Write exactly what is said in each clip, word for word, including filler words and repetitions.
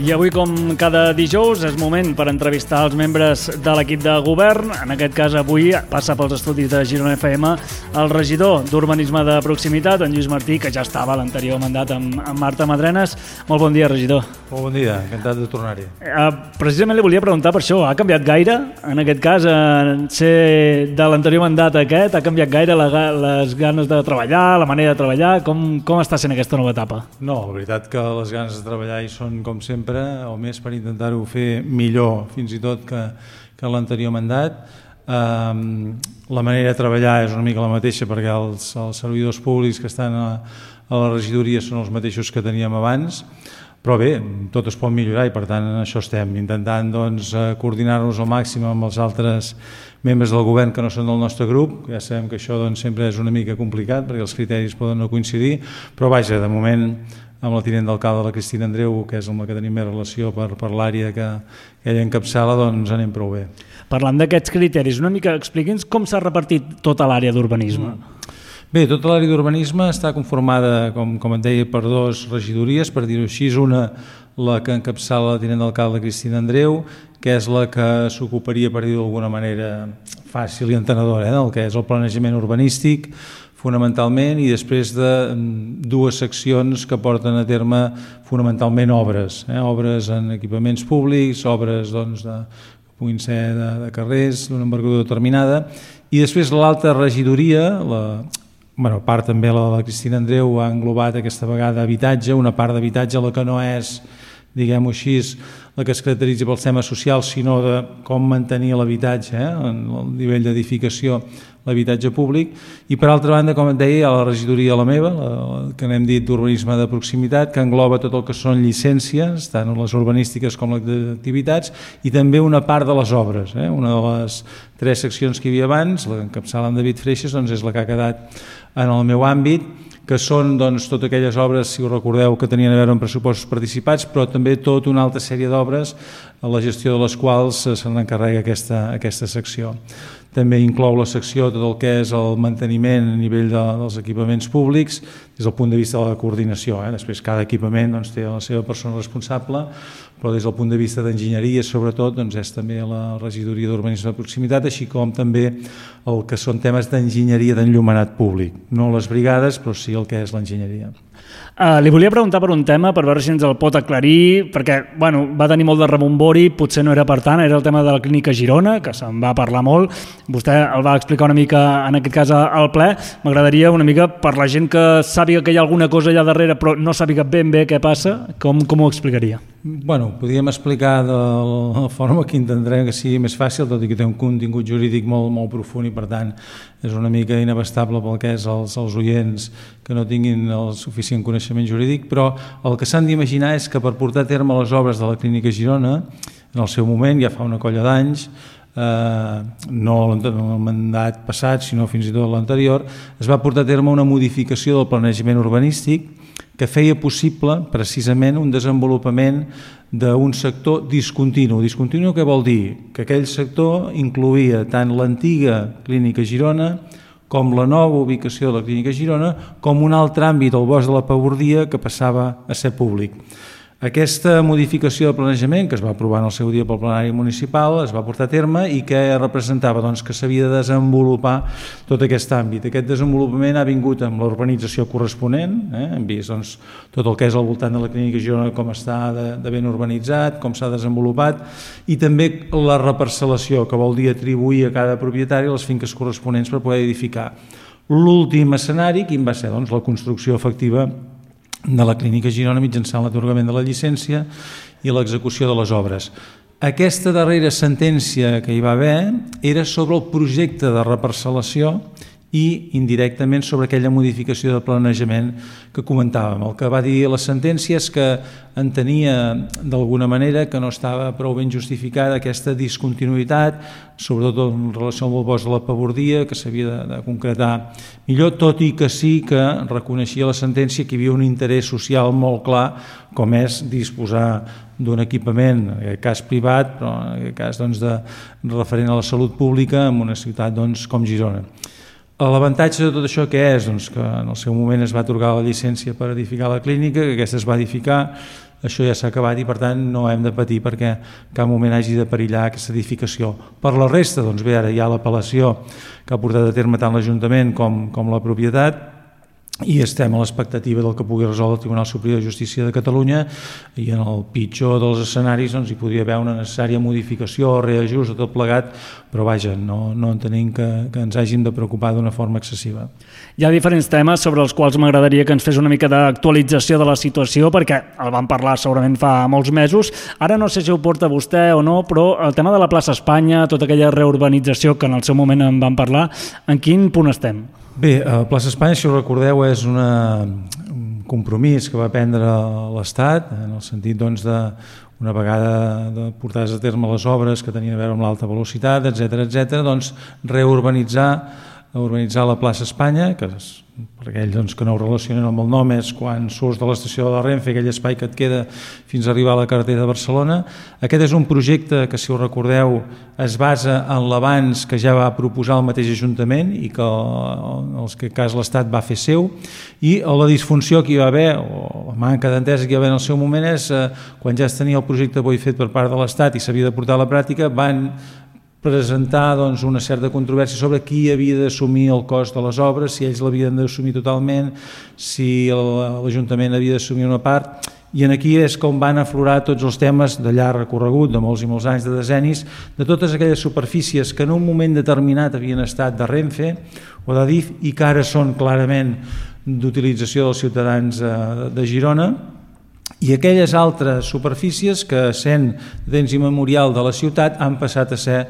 I avui, com cada dijous, és moment per entrevistar els membres de l'equip de govern. En aquest cas, avui passa pels estudis de Girona F M el regidor d'Urbanisme de Proximitat, en Lluís Martí, que ja estava a l'anterior mandat amb, amb Marta Madrenes. Molt bon dia, regidor. Molt bon dia, encantat de tornar-hi. Eh, precisament li volia preguntar per això. Ha canviat gaire, en aquest cas, en ser de l'anterior mandat a aquest? Ha canviat gaire la, les ganes de treballar, la manera de treballar? Com, com està sent aquesta nova etapa? No, la veritat que les ganes de treballar hi són com sempre, o més per intentar-ho fer millor, fins i tot que, que l'anterior mandat. Um, la manera de treballar és una mica la mateixa, perquè els, els servidors públics que estan a, a la regidoria són els mateixos que teníem abans, però bé, tot es pot millorar i per tant en això estem, intentant doncs, coordinar-nos al màxim amb els altres membres del govern que no són del nostre grup. Ja sabem que això doncs, sempre és una mica complicat perquè els criteris poden no coincidir, però vaja, de moment amb la tinent d'alcalde, la Cristina Andreu, que és amb la que tenim més relació per, per l'àrea que, que ella encapçala, doncs anem prou bé. Parlant d'aquests criteris, una mica expliqui'ns com s'ha repartit tota l'àrea d'urbanisme. Mm. Bé, tota l'àrea d'urbanisme està conformada, com, com et deia, per dues regidories, per dir-ho així, una la que encapçala la tinent d'alcalde Cristina Andreu, que és la que s'ocuparia, per dir-ho d'alguna manera fàcil i entenedora, eh, del que és el planejament urbanístic, fonamentalment, i després de dues seccions que porten a terme fonamentalment obres, eh? obres en equipaments públics, obres doncs, de, que puguin ser de, de carrers d'una envergadura determinada, i després l'altra regidoria, la, bueno, part també la de la Cristina Andreu ha englobat aquesta vegada habitatge, una part d'habitatge la que no és, diguem-ho així, la que es caracteritza pels temes socials, sinó de com mantenir l'habitatge, eh? en el nivell d'edificació, l'habitatge públic, i per altra banda, com et deia, a la regidoria la meva, la, que n'hem dit d'urbanisme de proximitat, que engloba tot el que són llicències, tant les urbanístiques com les d'activitats, i també una part de les obres. Eh? Una de les tres seccions que hi havia abans, la que encapçala en David Freixas, doncs és la que ha quedat en el meu àmbit, que són doncs, totes aquelles obres, si ho recordeu, que tenien a veure amb pressupostos participats, però també tota una altra sèrie d'obres a la gestió de les quals se n'encarrega aquesta, aquesta secció. També inclou la secció tot el que és el manteniment a nivell de, dels equipaments públics des del punt de vista de la coordinació. Eh? Després cada equipament doncs, té la seva persona responsable, però des del punt de vista d'enginyeria sobretot doncs, és també la regidoria d'urbanisme de proximitat, així com també el que són temes d'enginyeria d'enllumenat públic. No les brigades, però sí el que és l'enginyeria. Uh, li volia preguntar per un tema, per veure si ens el pot aclarir, perquè bueno, va tenir molt de rebombori, potser no era per tant, era el tema de la clínica Girona, que se'n va parlar molt, vostè el va explicar una mica, en aquest cas al ple. M'agradaria una mica, per la gent que sàpiga que hi ha alguna cosa allà darrere però no sàpiga ben bé què passa, com, com ho explicaria? Bueno, podríem explicar de la forma que intentarem que sigui més fàcil, tot i que té un contingut jurídic molt, molt profund i per tant és una mica inabastable pel que és els, els oients que no tinguin el suficient coneixement jurídic, però el que s'han d'imaginar és que per portar a terme les obres de la clínica Girona, en el seu moment, ja fa una colla d'anys, eh, no en el mandat passat, sinó fins i tot l'anterior, es va portar a terme una modificació del planejament urbanístic que feia possible precisament un desenvolupament d'un sector discontinu. Discontinu què vol dir? Que aquell sector incloïa tant l'antiga clínica Girona com la nova ubicació de la clínica Girona, com un altre àmbit, el bosc de la Pabordia, que passava a ser públic. Aquesta modificació de planejament, que es va aprovar en el seu dia pel plenari municipal, es va portar a terme i que representava doncs, que s'havia de desenvolupar tot aquest àmbit. Aquest desenvolupament ha vingut amb l'urbanització corresponent, eh? hem vist doncs, tot el que és al voltant de la clínica Girona, com està de, de ben urbanitzat, com s'ha desenvolupat, i també la reparcel·lació, que vol dir atribuir a cada propietari les finques corresponents per poder edificar. L'últim escenari, quin va ser? Doncs, la construcció efectiva de la clínica Girona mitjançant l'atorgament de la llicència i l'execució de les obres. Aquesta darrera sentència que hi va haver era sobre el projecte de reparcel·lació i indirectament sobre aquella modificació de planejament que comentàvem. El que va dir la sentència és que entenia d'alguna manera que no estava prou ben justificada aquesta discontinuïtat, sobretot en relació amb el bosc de la Pabordia, que s'havia de, de concretar millor, tot i que sí que reconeixia la sentència que hi havia un interès social molt clar, com és disposar d'un equipament, en aquest cas privat, però en aquest cas doncs, de, referent a la salut pública en una ciutat doncs, com Girona. L'avantatge de tot això què és? Doncs que en el seu moment es va atorgar la llicència per edificar la clínica, que aquesta es va edificar això ja s'ha acabat i per tant no hem de patir perquè en cap moment hagi de perillar aquesta edificació. Per la resta, doncs bé, ara hi ha l'apel·lació que ha portat a terme tant l'Ajuntament com, com la propietat, i estem a l'expectativa del que pugui resoldre el Tribunal Superior de Justícia de Catalunya, i en el pitjor dels escenaris doncs, hi podria haver una necessària modificació o reajust de tot plegat, però vaja, no, no entenem que, que ens hàgim de preocupar d'una forma excessiva. Hi ha diferents temes sobre els quals m'agradaria que ens fes una mica d'actualització de la situació, perquè el vam parlar segurament fa molts mesos. Ara no sé si ho porta vostè o no, però el tema de la plaça Espanya, tota aquella reurbanització que en el seu moment en vam parlar, en quin punt estem? Bé, la plaça Espanya, si ho recordeu, és una, un compromís que va prendre l'Estat, en el sentit doncs, de una vegada de portades a terme les obres que tenien a veure amb l'alta velocitat, etcètera, etcètera, doncs reurbanitzar urbanitzar la plaça Espanya, que és, per aquells doncs, que no ho relacionen amb el nom, és quan surts de l'estació de la Renfe, aquell espai que et queda fins a arribar a la carretera de Barcelona. Aquest és un projecte que, si ho recordeu, es basa en l'avanç que ja va proposar el mateix Ajuntament i que, en el cas l'Estat va fer seu, i la disfunció que hi va haver, o la manca d'entesa que hi va haver en el seu moment, és eh, quan ja es tenia el projecte bo i fet per part de l'Estat i s'havia de portar a la pràctica, van presentar doncs, una certa controvèrsia sobre qui havia d'assumir el cost de les obres, si ells l'havien d'assumir totalment, si l'Ajuntament havia d'assumir una part, i aquí és com van aflorar tots els temes de llarg recorregut, de molts i molts anys, de decennis, de totes aquelles superfícies que en un moment determinat havien estat de Renfe o d'Adif i que ara són clarament d'utilització dels ciutadans de Girona, i aquelles altres superfícies que, sent d'ens immemorial de la ciutat, han passat a ser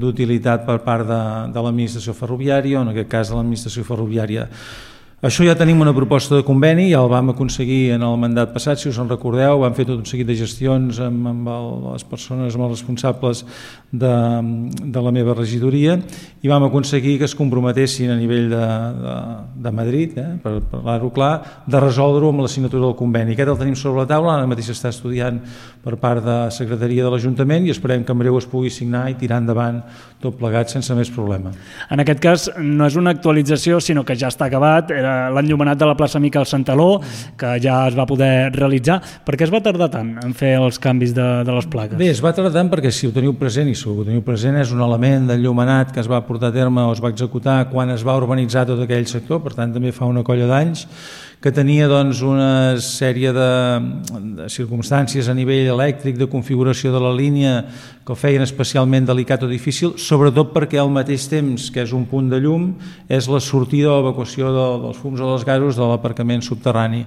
d'utilitat per part de, de l'administració ferroviària, o en aquest cas de l'administració ferroviària. Això ja tenim una proposta de conveni, ja el vam aconseguir en el mandat passat, si us en recordeu, vam fer tot un seguit de gestions amb, amb el, les persones, amb els responsables de, de la meva regidoria, i vam aconseguir que es comprometessin a nivell de, de, de Madrid, eh, per parlar-ho clar, de resoldre-ho amb la signatura del conveni. Aquest el tenim sobre la taula, ara mateix està estudiant per part de la secretaria de l'Ajuntament i esperem que en breu es pugui signar i tirar endavant tot plegat sense més problema. En aquest cas no és una actualització, sinó que ja està acabat, era l'enllumenat de la plaça Miquel Santaló, que ja es va poder realitzar. Per què es va tardar tant en fer els canvis de, de les plaques? Bé, es va tardar tant perquè, si ho teniu present, i si ho teniu present, és un element d'enllumenat que es va portar a terme o es va executar quan es va urbanitzar tot aquell sector, per tant també fa una colla d'anys, que tenia doncs, una sèrie de, de circumstàncies a nivell elèctric, de configuració de la línia, que ho feien especialment delicat o difícil, sobretot perquè al mateix temps que és un punt de llum, és la sortida o evacuació de, dels fums o dels gasos de l'aparcament subterrani.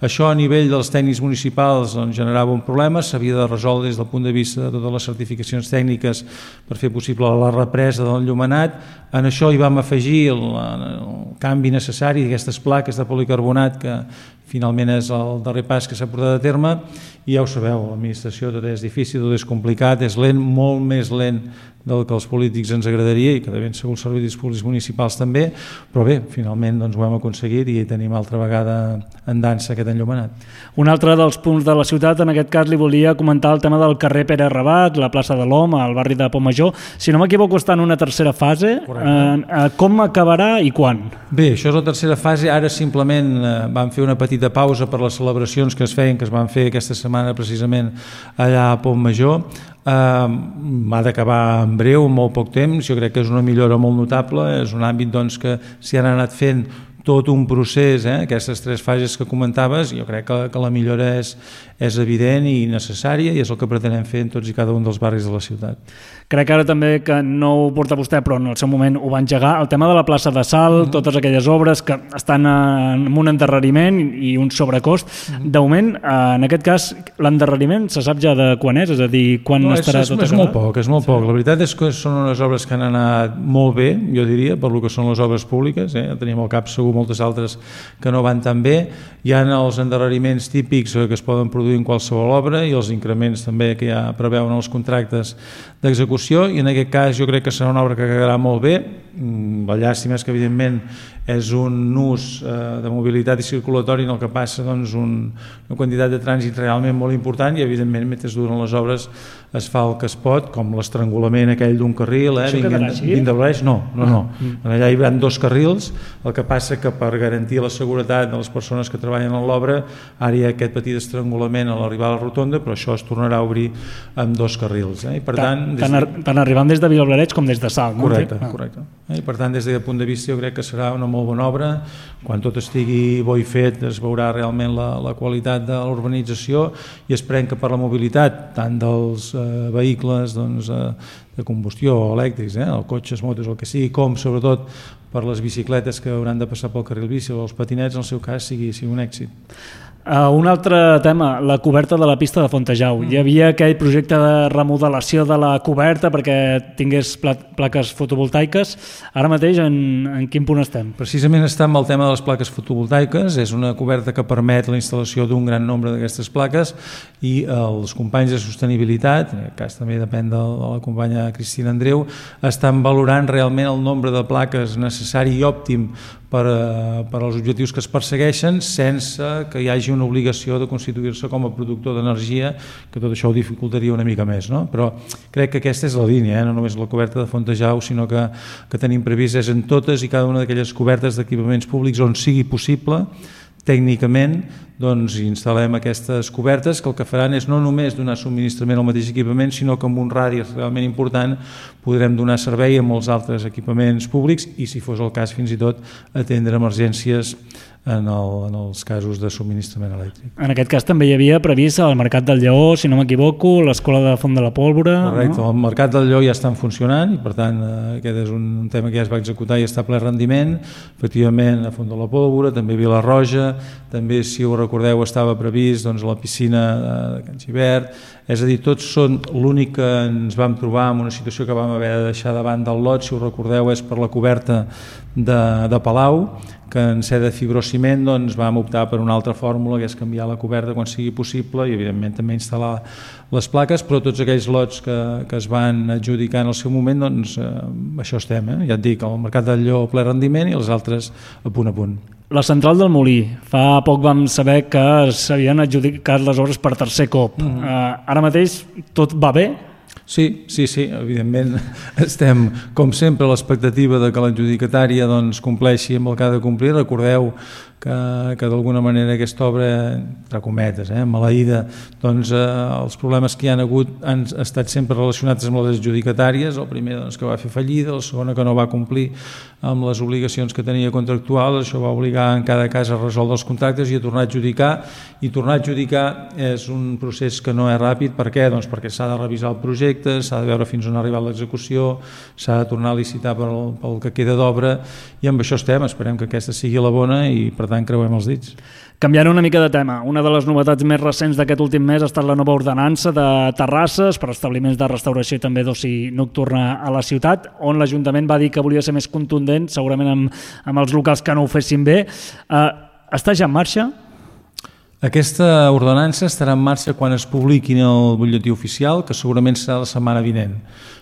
Això a nivell dels tècnics municipals doncs, generava un problema, s'havia de resoldre des del punt de vista de totes les certificacions tècniques per fer possible la represa de l'enllumenat. En això hi vam afegir el, el canvi necessari d'aquestes plaques de policarbonat, que finalment és el darrer pas que s'ha portat a terme, i ja ho sabeu, l'administració tot és difícil, tot és complicat, és lent, molt més lent del que els polítics ens agradaria i que de ben segur els serveis públics municipals també, però bé, finalment doncs, ho hem aconseguit i tenim altra vegada en dansa aquest enllumenat. Un altre dels punts de la ciutat, en aquest cas li volia comentar el tema del carrer Pere Rabat, la plaça de l'Om, al barri de Pontmajor. Si no m'equivoco, està en una tercera fase. Eh, com acabarà i quan? Bé, això és la tercera fase. Ara simplement eh, vam fer una petita pausa per les celebracions que es feien, que es van fer aquesta setmana precisament allà a Pontmajor. Uh, ha d'acabar en breu, en molt poc temps. Jo crec que és una millora molt notable, és un àmbit doncs, que s'hi han anat fent tot un procés, eh? Aquestes tres fases que comentaves, jo crec que, que la millora és, és evident i necessària i és el que pretenem fer en tots i cada un dels barris de la ciutat. Crec ara també que no ho porta vostè, però en el seu moment ho va engegar, el tema de la plaça de Salt, uh-huh. totes aquelles obres que estan en un endarreriment i un sobrecost. Uh-huh. De moment, en aquest cas, l'endarreriment se sap ja de quan és, és a dir, quan no, estarà és, tot acabat? És molt poc, és molt sí. poc. La veritat és que són unes obres que han anat molt bé, jo diria, per lo que són les obres públiques, eh? Tenim al cap segur moltes altres que no van tan bé. Hi ha els endarreriments típics que es poden produir en qualsevol obra i els increments també que ja preveuen els contractes d'execució, i en aquest cas jo crec que serà una obra que quedarà molt bé. la llàstima és que evidentment és un ús eh, de mobilitat i circulatori en el que passa doncs, un, una quantitat de trànsit realment molt important i evidentment mentre duren les obres es fa el que es pot, com l'estrangulament aquell d'un carril, eh, vint de l'eix, no, no, no. Ah. Allà hi haurà dos carrils, el que passa que per garantir la seguretat de les persones que treballen en l'obra ara hi ha aquest petit estrangulament a l'arribar a la rotonda, però això es tornarà a obrir amb dos carrils. Eh? I per tant, tant, tant, de... tant arribant des de Vilablareix com des de Salt. Correcte, no? correcte. Eh? I per tant, des d'aquest punt de vista jo crec que serà una molt bona obra. Quan tot estigui bo i fet es veurà realment la, la qualitat de l'urbanització i esperem que per la mobilitat tant dels eh, vehicles doncs, eh, de combustió o elèctrics, eh, els cotxes, motos, el que sigui, com sobretot per les bicicletes que hauran de passar pel carril bici o els patinets, en el seu cas sigui, sigui un èxit. Uh, un altre tema, la coberta de la pista de Fontejau. Mm. Hi havia aquell projecte de remodelació de la coberta perquè tingués pla plaques fotovoltaiques. Ara mateix en, en quin punt estem? Precisament està amb el tema de les plaques fotovoltaiques. És una coberta que permet la instal·lació d'un gran nombre d'aquestes plaques i els companys de sostenibilitat, en aquest cas també depèn de la companya Cristina Andreu, estan valorant realment el nombre de plaques necessari i òptim per, per als objectius que es persegueixen sense que hi hagi una obligació de constituir-se com a productor d'energia, que tot això ho dificultaria una mica més, no? Però crec que aquesta és la línia, eh? No només la coberta de Fontejau, sinó que, que tenim previst és en totes i cada una d'aquelles cobertes d'equipaments públics on sigui possible tècnicament doncs instal·lem aquestes cobertes que el que faran és no només donar subministrament al mateix equipament, sinó que amb un radi realment important podrem donar servei a molts altres equipaments públics i, si fos el cas, fins i tot atendre emergències en, el, en els casos de subministrament elèctric. En aquest cas també hi havia previst el Mercat del Lleó, si no m'equivoco, l'Escola de Font de la Pólvora... Correcte, no? El Mercat del Lleó ja està funcionant i per tant aquest és un tema que ja es va executar i està a ple rendiment. Efectivament, a Font de la Pólvora, també a Vila-roja, també, si ho recordeu, estava previst doncs, la piscina de Can Gibert. És a dir, tots són l'únic que ens vam trobar en una situació que vam haver de deixar davant del lot, si ho recordeu, és per la coberta de, de Palau, que en ser de fibrociment doncs, vam optar per una altra fórmula, que és canviar la coberta quan sigui possible i evidentment també instal·lar les plaques, però tots aquells lots que, que es van adjudicar en el seu moment, doncs eh, això estem, eh? Ja et dic, el Mercat del Lleó ple rendiment i els altres a punt a punt. La central del Molí, fa poc vam saber que s'havien adjudicat les obres per tercer cop. Mm-hmm. uh, ara mateix tot va bé? Sí, sí, sí, evidentment estem, com sempre, a l'expectativa de que l'adjudicatària doncs, compleixi amb el que ha de complir. Recordeu que, que d'alguna manera aquesta obra, entre cometes, eh, maleïda, doncs eh, els problemes que hi han hagut han estat sempre relacionats amb les adjudicatàries. El primer doncs, que va fer fallida, la segona que no va complir amb les obligacions que tenia contractuals, això va obligar en cada cas a resoldre els contractes i a tornar a adjudicar, i tornar a adjudicar és un procés que no és ràpid. Per què? Doncs perquè s'ha de revisar el projecte, s'ha de veure fins on ha arribat l'execució, s'ha de tornar a licitar pel, pel que queda d'obra, i amb això estem, esperem que aquesta sigui la bona i per tant creuem els dits. Canviant una mica de tema, una de les novetats més recents d'aquest últim mes ha estat la nova ordenança de terrasses per establiments de restauració i també d'oci nocturna a la ciutat, on l'Ajuntament va dir que volia ser més contundent, segurament amb, amb els locals que no ho fessin bé. Uh, està ja en marxa? Aquesta ordenança estarà en marxa quan es publiqui en el butlletí oficial, que segurament serà la setmana vinent.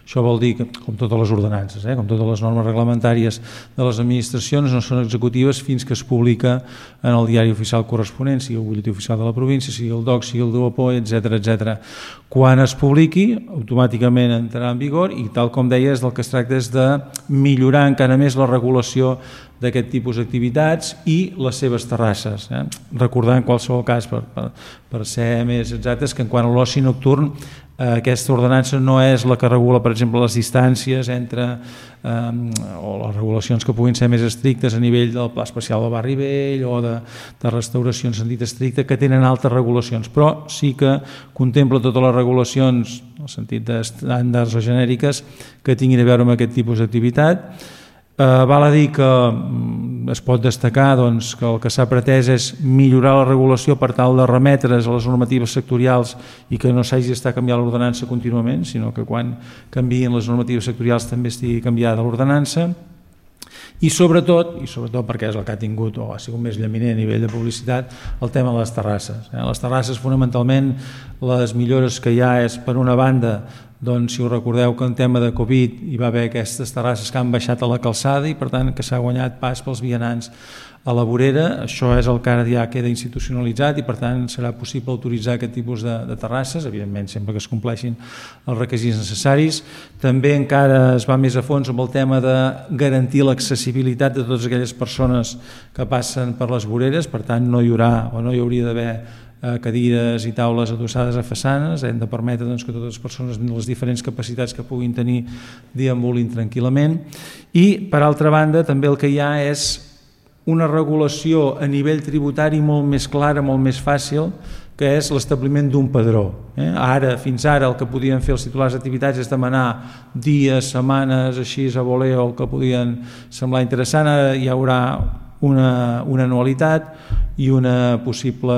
Això vol dir que, com totes les ordenances, eh, com totes les normes reglamentàries de les administracions, no són executives fins que es publica en el diari oficial corresponent, sigui el butlletí oficial de la província, sigui el D O C, sigui el D U A P O, etcètera, etcètera. Quan es publiqui, automàticament entrarà en vigor i, tal com deia, del que es tracta és de millorar encara més la regulació d'aquest tipus d'activitats i les seves terrasses. Eh? Recordar en qualsevol cas, per, per, per ser més exactes, que en quant a l'oci nocturn, eh, aquesta ordenança no és la que regula, per exemple, les distàncies entre eh, o les regulacions que puguin ser més estrictes a nivell del Pla Especial del Barri Vell o de, de restauració en sentit estricte, que tenen altres regulacions, però sí que contempla totes les regulacions en el sentit d'estàndards o genèriques que tinguin a veure amb aquest tipus d'activitat. Uh, val a dir que um, es pot destacar doncs, que el que s'ha pretès és millorar la regulació per tal de remetre's a les normatives sectorials i que no s'hagi d'estar canviant l'ordenança contínuament, sinó que quan canviïn les normatives sectorials també estigui canviada l'ordenança. I sobretot, i sobretot perquè és el que ha tingut o ha sigut més llaminant a nivell de publicitat, el tema de les terrasses. Eh? Les terrasses, fonamentalment, les millores que hi ha és, per una banda, doncs si us recordeu que en tema de Covid hi va haver aquestes terrasses que han baixat a la calçada i per tant que s'ha guanyat pas pels vianants a la vorera. Això és el que ara ja queda institucionalitzat i per tant serà possible autoritzar aquest tipus de, de terrasses, evidentment sempre que es compleixin els requisits necessaris. També encara es va més a fons amb el tema de garantir l'accessibilitat de totes aquelles persones que passen per les voreres, per tant no hi haurà o no hi hauria d'haver cadires i taules adossades a façanes, hem de permetre doncs, que totes les persones amb les diferents capacitats que puguin tenir deambulin tranquil·lament. I per altra banda també el que hi ha és una regulació a nivell tributari molt més clara, molt més fàcil, que és l'establiment d'un padró. Eh? Ara, fins ara, el que podien fer els titulars d'activitats és demanar dies, setmanes, així a voler, o el que podien semblar interessant. Ara hi haurà una, una anualitat i una possible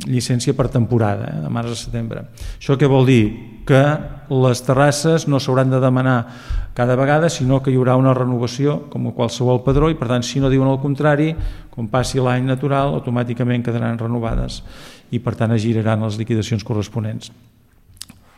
llicència per temporada, eh? de març a setembre. Això què vol dir? Que les terrasses no s'hauran de demanar cada vegada, sinó que hi haurà una renovació com a qualsevol padró i per tant si no diuen el contrari, com passi l'any natural, automàticament quedaran renovades i per tant es giraran les liquidacions corresponents.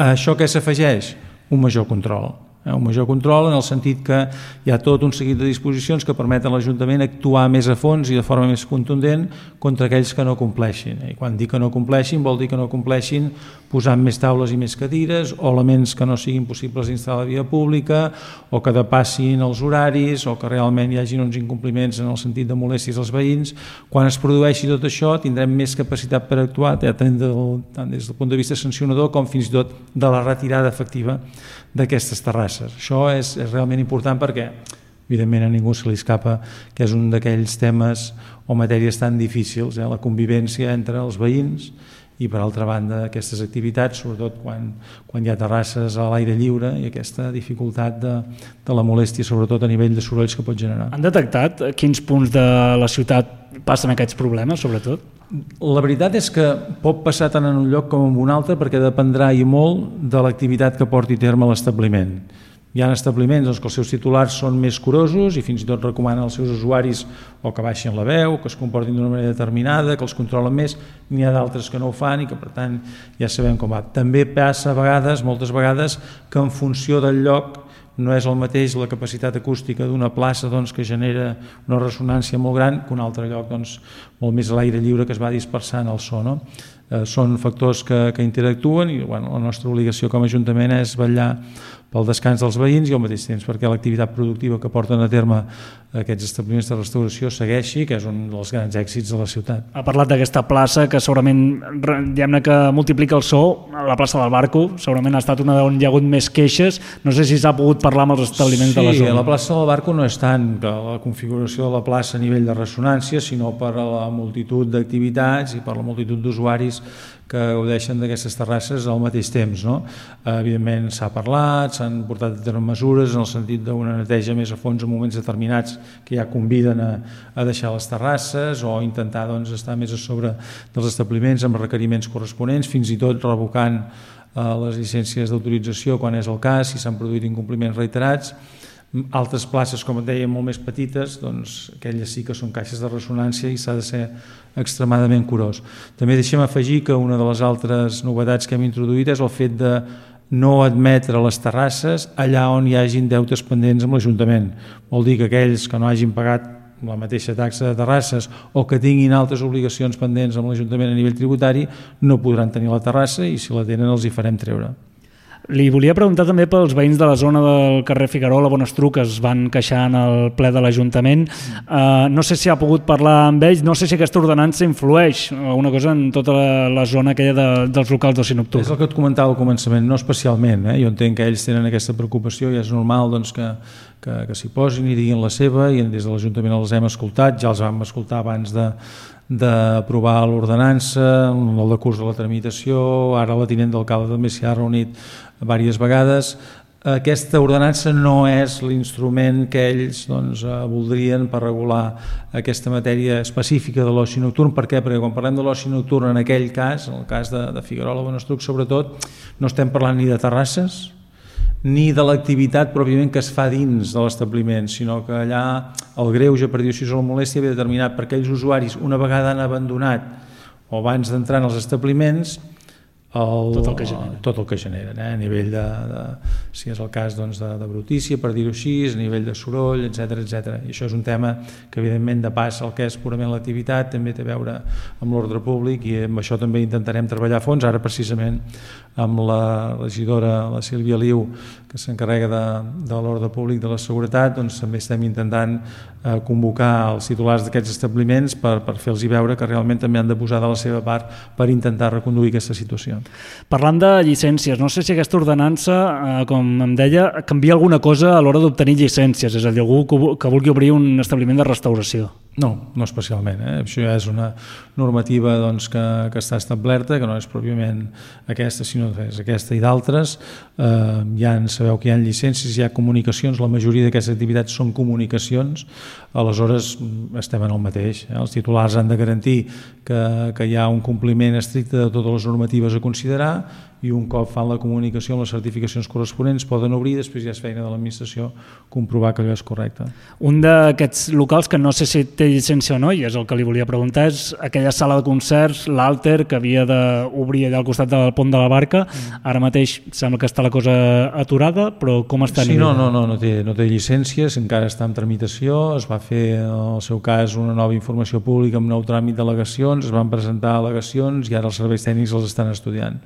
A això què s'afegeix? Un major control. Un major control en el sentit que hi ha tot un seguit de disposicions que permeten a l'Ajuntament actuar més a fons i de forma més contundent contra aquells que no compleixin. I quan dic que no compleixin vol dir que no compleixin posant més taules i més cadires o elements que no siguin possibles d'instal·lar a la via pública o que depassin els horaris o que realment hi hagin uns incompliments en el sentit de molèsties als veïns. Quan es produeixi tot això tindrem més capacitat per actuar tant des del punt de vista sancionador com fins i tot de la retirada efectiva d'aquestes terrasses. Això és, és realment important perquè evidentment a ningú se li escapa que és un d'aquells temes o matèries tan difícils, eh? la convivència entre els veïns i per altra banda aquestes activitats, sobretot quan, quan hi ha terrasses a l'aire lliure i aquesta dificultat de, de la molèstia, sobretot a nivell de sorolls que pot generar. Han detectat quins punts de la ciutat passen aquests problemes, sobretot? La veritat és que pot passar tant en un lloc com en un altre perquè dependrà i molt de l'activitat que porti a terme l'establiment. Hi ha establiments doncs, que els seus titulars són més curosos i fins i tot recomanen als seus usuaris o que baixin la veu, que es comportin d'una manera determinada, que els controlen més. N'hi ha d'altres que no ho fan i que per tant ja sabem com va. També passa a vegades, moltes vegades, que en funció del lloc no és el mateix la capacitat acústica d'una plaça doncs, que genera una ressonància molt gran que un altre lloc doncs, molt més a l'aire lliure que es va dispersant el so. No? Eh, són factors que, que interactuen i bueno, la nostra obligació com a Ajuntament és vetllar pel descans dels veïns i al mateix temps perquè l'activitat productiva que porten a terme aquests establiments de restauració segueixi, que és un dels grans èxits de la ciutat. Ha parlat d'aquesta plaça que segurament diguem-ne que multiplica el so, la plaça del Barco, segurament ha estat una on hi ha hagut més queixes, no sé si s'ha pogut parlar amb els establiments sí, de la zona. Sí, la plaça del Barco no és tant que la configuració de la plaça a nivell de ressonància, sinó per la multitud d'activitats i per la multitud d'usuaris que gaudeixen d'aquestes terrasses al mateix temps. No? Evidentment s'ha parlat, s'han portat a terme mesures en el sentit d'una neteja més a fons en moments determinats que ja conviden a, a deixar les terrasses o intentar doncs, estar més a sobre dels establiments amb requeriments corresponents, fins i tot revocant eh, les llicències d'autorització quan és el cas, si s'han produït incompliments reiterats. Altres places, com et deia, molt més petites, doncs aquelles sí que són caixes de ressonància i s'ha de ser extremadament curós. També deixem afegir que una de les altres novetats que hem introduït és el fet de no admetre les terrasses allà on hi hagin deutes pendents amb l'Ajuntament. Vol dir que aquells que no hagin pagat la mateixa taxa de terrasses o que tinguin altres obligacions pendents amb l'Ajuntament a nivell tributari no podran tenir la terrassa i si la tenen els hi farem treure. Li volia preguntar també pels veïns de la zona del carrer Figuerola, Bonestruc, que es van queixar en el ple de l'Ajuntament. Uh, no sé si ha pogut parlar amb ells, no sé si aquesta ordenança influeix alguna cosa en tota la, la zona aquella de, dels locals d'oci nocturn. És el que et comentava al començament, no especialment. Eh? Jo entenc que ells tenen aquesta preocupació i és normal doncs, que, que, que s'hi posin i diguin la seva i des de l'Ajuntament els hem escoltat, ja els vam escoltar abans de d'aprovar l'ordenança, el decurs de la tramitació, ara la tinent d'alcalde també s'hi ha reunit diverses vegades. Aquesta ordenança no és l'instrument que ells doncs, voldrien per regular aquesta matèria específica de l'oci nocturn. Per què? Perquè quan parlem de l'oci nocturn en aquell cas, en el cas de, de Figuerola o Bonestruc sobretot, no estem parlant ni de terrasses, ni de l'activitat pròpiament que es fa dins de l'establiment, sinó que allà el greuge, per dir-ho així, o la molèstia ve determinat per aquells usuaris, una vegada han abandonat o abans d'entrar en els establiments, el, tot el que genera, tot el que generen eh? A nivell de, de, si és el cas doncs, de, de brutícia, per dir-ho així, a nivell de soroll, etcètera, etcètera. I això és un tema que evidentment de pas el que és purament l'activitat també té a veure amb l'ordre públic, i amb això també intentarem treballar a fons. Ara precisament amb la regidora, la Sílvia Liu, que s'encarrega de, de l'ordre públic, de la seguretat, doncs també estem intentant eh, convocar els titulars d'aquests establiments per, per fer-los veure que realment també han de posar de la seva part per intentar reconduir aquesta situació. Parlant de llicències, no sé si aquesta ordenança, eh, com em deia, canvia alguna cosa a l'hora d'obtenir llicències, és a dir, algú que vulgui obrir un establiment de restauració. No, no especialment. Eh? Això ja és una normativa doncs, que, que està establerta, que no és pròpiament aquesta, sinó que és aquesta i d'altres. Eh, ja en sabeu que hi ha llicències, hi ha comunicacions, la majoria d'aquestes activitats són comunicacions, aleshores estem en el mateix. Eh? Els titulars han de garantir que, que hi ha un compliment estricte de totes les normatives a considerar, i un cop fan la comunicació amb les certificacions corresponents poden obrir, després ja és feina de l'administració comprovar que allò és correcte. Un d'aquests locals que no sé si té llicència o no, i és el que li volia preguntar, és aquella sala de concerts, l'Alter, que havia d'obrir allà al costat del pont de la Barca. Ara mateix sembla que està la cosa aturada, però com està? Sí, no, no, no, no té, no té llicències, encara està en tramitació, es va fer en el seu cas una nova informació pública amb nou tràmit d'al·legacions, es van presentar al·legacions i ara els serveis tècnics els estan estudiant.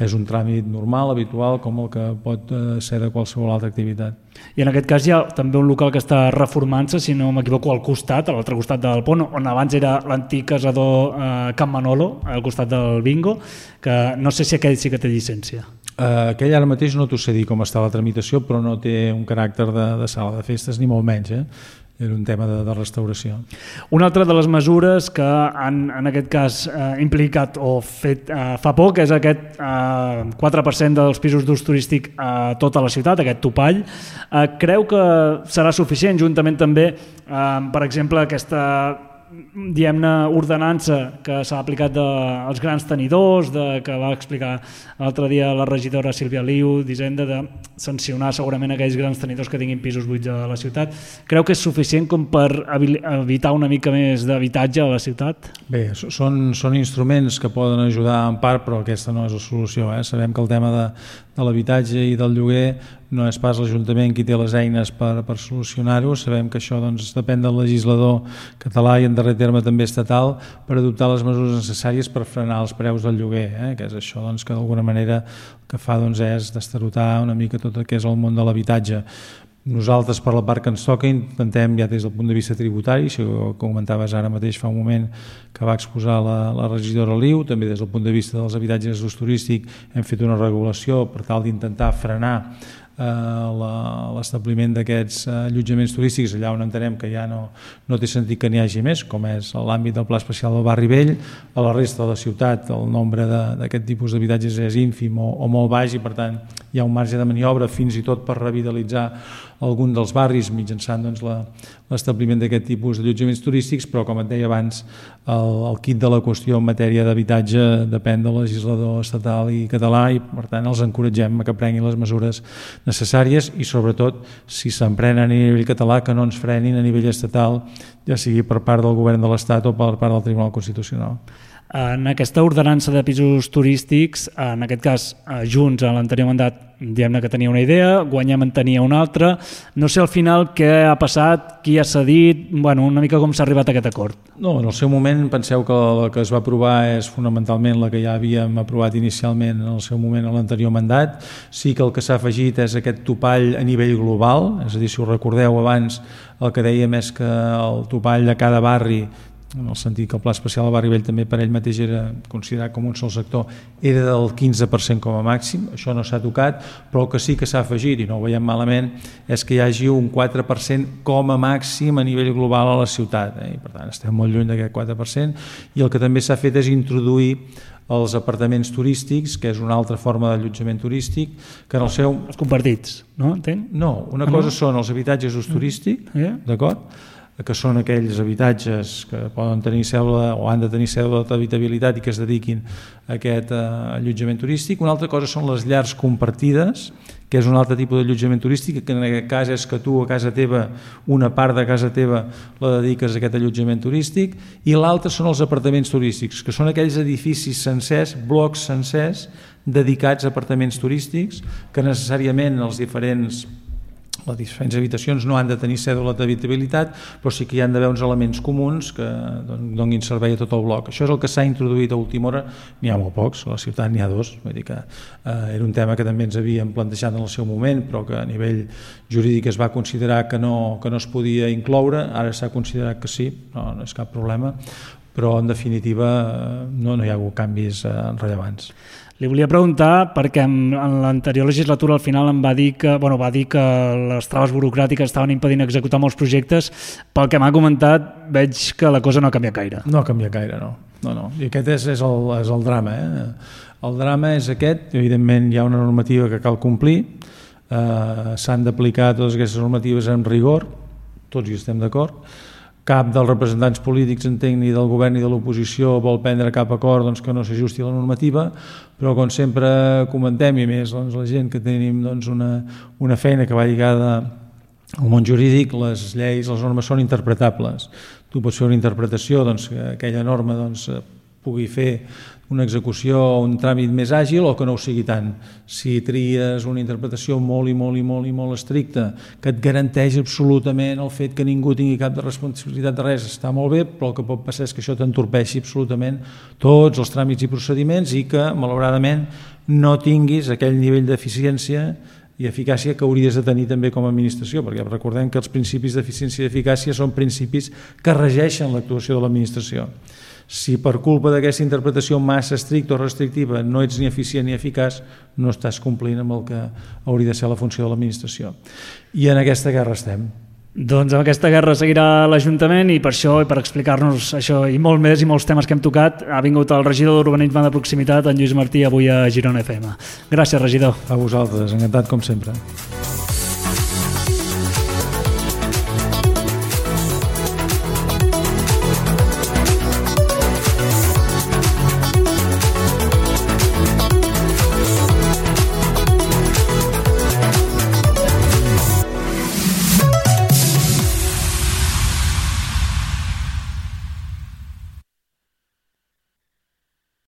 És un tràmit normal, habitual, com el que pot ser de qualsevol altra activitat. I en aquest cas hi ha també un local que està reformant-se, si no m'equivoco, al costat, a l'altre costat del pont, on abans era l'antic casador eh, Can Manolo, al costat del bingo, que no sé si aquell sí que té llicència. Uh, aquell ara mateix no t'ho sé dir com està la tramitació, però no té un caràcter de, de sala de festes, ni molt menys, eh? Era un tema de, de restauració. Una altra de les mesures que han, en aquest cas, eh, implicat o fet eh, fa poc és aquest eh, quatre per cent dels pisos d'ús turístic a tota la ciutat, aquest topall. Eh, creu que serà suficient, juntament també, eh, per exemple, aquesta diguem-ne ordenança que s'ha aplicat dels grans tenidors, de, que va explicar l'altre dia la regidora Sílvia Liu d'Hisenda, de sancionar segurament aquells grans tenidors que tinguin pisos buits a la ciutat. Creu que és suficient com per evitar una mica més d'habitatge a la ciutat? Bé, són, són instruments que poden ajudar en part, però aquesta no és la solució. Eh? Sabem que el tema de, de l'habitatge i del lloguer no és pas l'Ajuntament qui té les eines per, per solucionar-ho. Sabem que això doncs, depèn del legislador català i en darrer terme també estatal per adoptar les mesures necessàries per frenar els preus del lloguer, eh? Que és això doncs, que d'alguna manera el que fa doncs, és destarotar una mica tot el que és el món de l'habitatge. Nosaltres, per la part que ens toca, intentem ja des del punt de vista tributari, si ho comentaves ara mateix fa un moment que va exposar la, la regidora Liu, també des del punt de vista dels habitatges d'ús turístic hem fet una regulació per tal d'intentar frenar l'establiment d'aquests allotjaments turístics allà on entenem que ja no, no té sentit que n'hi hagi més, com és l'àmbit del Pla Especial del Barri Vell. A la resta de la ciutat el nombre d'aquest tipus d'habitatges és ínfim o, o molt baix i per tant hi ha un marge de maniobra fins i tot per revitalitzar algun dels barris mitjançant doncs, l'establiment d'aquest tipus d'allotjaments turístics, però com et deia abans el, el kit de la qüestió en matèria d'habitatge depèn del legislador estatal i català i per tant els encoratgem a que prenguin les mesures necessàries i sobretot si s'emprenen a nivell català que no ens frenin a nivell estatal, ja sigui per part del govern de l'Estat o per part del Tribunal Constitucional. En aquesta ordenança de pisos turístics, en aquest cas Junts en l'anterior mandat diguem-ne que tenia una idea, Guanyem en tenia una altra, no sé al final què ha passat, qui ha cedit, bueno, una mica com s'ha arribat a aquest acord. No, en el seu moment penseu que la que es va aprovar és fonamentalment la que ja havíem aprovat inicialment en el seu moment a l'anterior mandat, sí que el que s'ha afegit és aquest topall a nivell global, és a dir, si us recordeu abans el que dèiem és que el topall de cada barri en el sentit que el Pla Especial del Barri Vell també per ell mateix era considerat com un sol sector, era del quinze per cent com a màxim, això no s'ha tocat, però el que sí que s'ha afegit, i no ho veiem malament, és que hi hagi un quatre per cent com a màxim a nivell global a la ciutat, eh? I per tant estem molt lluny d'aquest quatre per cent, i el que també s'ha fet és introduir els apartaments turístics, que és una altra forma d'allotjament turístic, que en el seu... Els compartits, no? Entenc? No, una cosa són els habitatges d'ús turístic, d'acord? que són aquells habitatges que poden tenir cèdula o han de tenir cèdula d'habitabilitat i que es dediquin a aquest allotjament turístic. Una altra cosa són les llars compartides, que és un altre tipus d'allotjament turístic, que en aquest cas és que tu a casa teva, una part de casa teva la dediques a aquest allotjament turístic, i l'altre són els apartaments turístics, que són aquells edificis sencers, blocs sencers, dedicats a apartaments turístics, que necessàriament els diferents les diferents habitacions no han de tenir cèdula d'habitabilitat, però sí que hi han d'haver uns elements comuns que donin servei a tot el bloc. Això és el que s'ha introduït a última hora. N'hi ha molt pocs, a la ciutat n'hi ha dos, vull dir que eh, era un tema que també ens havíem plantejat en el seu moment, però que a nivell jurídic es va considerar que no, que no es podia incloure, ara s'ha considerat que sí, no, no és cap problema, però en definitiva no, no hi ha hagut canvis eh, rellevants. Li volia preguntar perquè en, en l'anterior legislatura al final em va dir que, bueno, va dir que les traves burocràtiques estaven impedint executar molts projectes. Pel que m'ha comentat veig que la cosa no ha canviat gaire. No ha canviat gaire, no. no, no. I aquest és, és, el, és el drama. Eh? El drama és aquest, evidentment hi ha una normativa que cal complir, eh, s'han d'aplicar totes aquestes normatives amb rigor, tots hi estem d'acord. Cap dels representants polítics, entenc, ni del govern ni de l'oposició vol prendre cap acord doncs, que no s'ajusti a la normativa, però com sempre comentem, i més doncs, la gent que tenim doncs, una, una feina que va lligada al món jurídic, les lleis, les normes són interpretables. Tu pots fer una interpretació doncs, que aquella norma doncs, pugui fer una execució o un tràmit més àgil o que no ho sigui tant. Si tries una interpretació molt i molt i molt i molt estricta que et garanteix absolutament el fet que ningú tingui cap de responsabilitat de res, està molt bé, però el que pot passar és que això t'entorpeixi absolutament tots els tràmits i procediments i que, malauradament, no tinguis aquell nivell d'eficiència i eficàcia que hauries de tenir també com a administració, perquè recordem que els principis d'eficiència i eficàcia són principis que regeixen l'actuació de l'administració. Si per culpa d'aquesta interpretació massa estricta o restrictiva no ets ni eficient ni eficaç, no estàs complint amb el que hauria de ser la funció de l'administració. I en aquesta guerra estem. Doncs amb aquesta guerra seguirà l'Ajuntament i per això, i per explicar-nos això i molt més i molts temes que hem tocat, ha vingut el regidor d'Urbanisme de Proximitat, en Lluís Martí, avui a Girona F M. Gràcies, regidor. A vosaltres, encantat com sempre.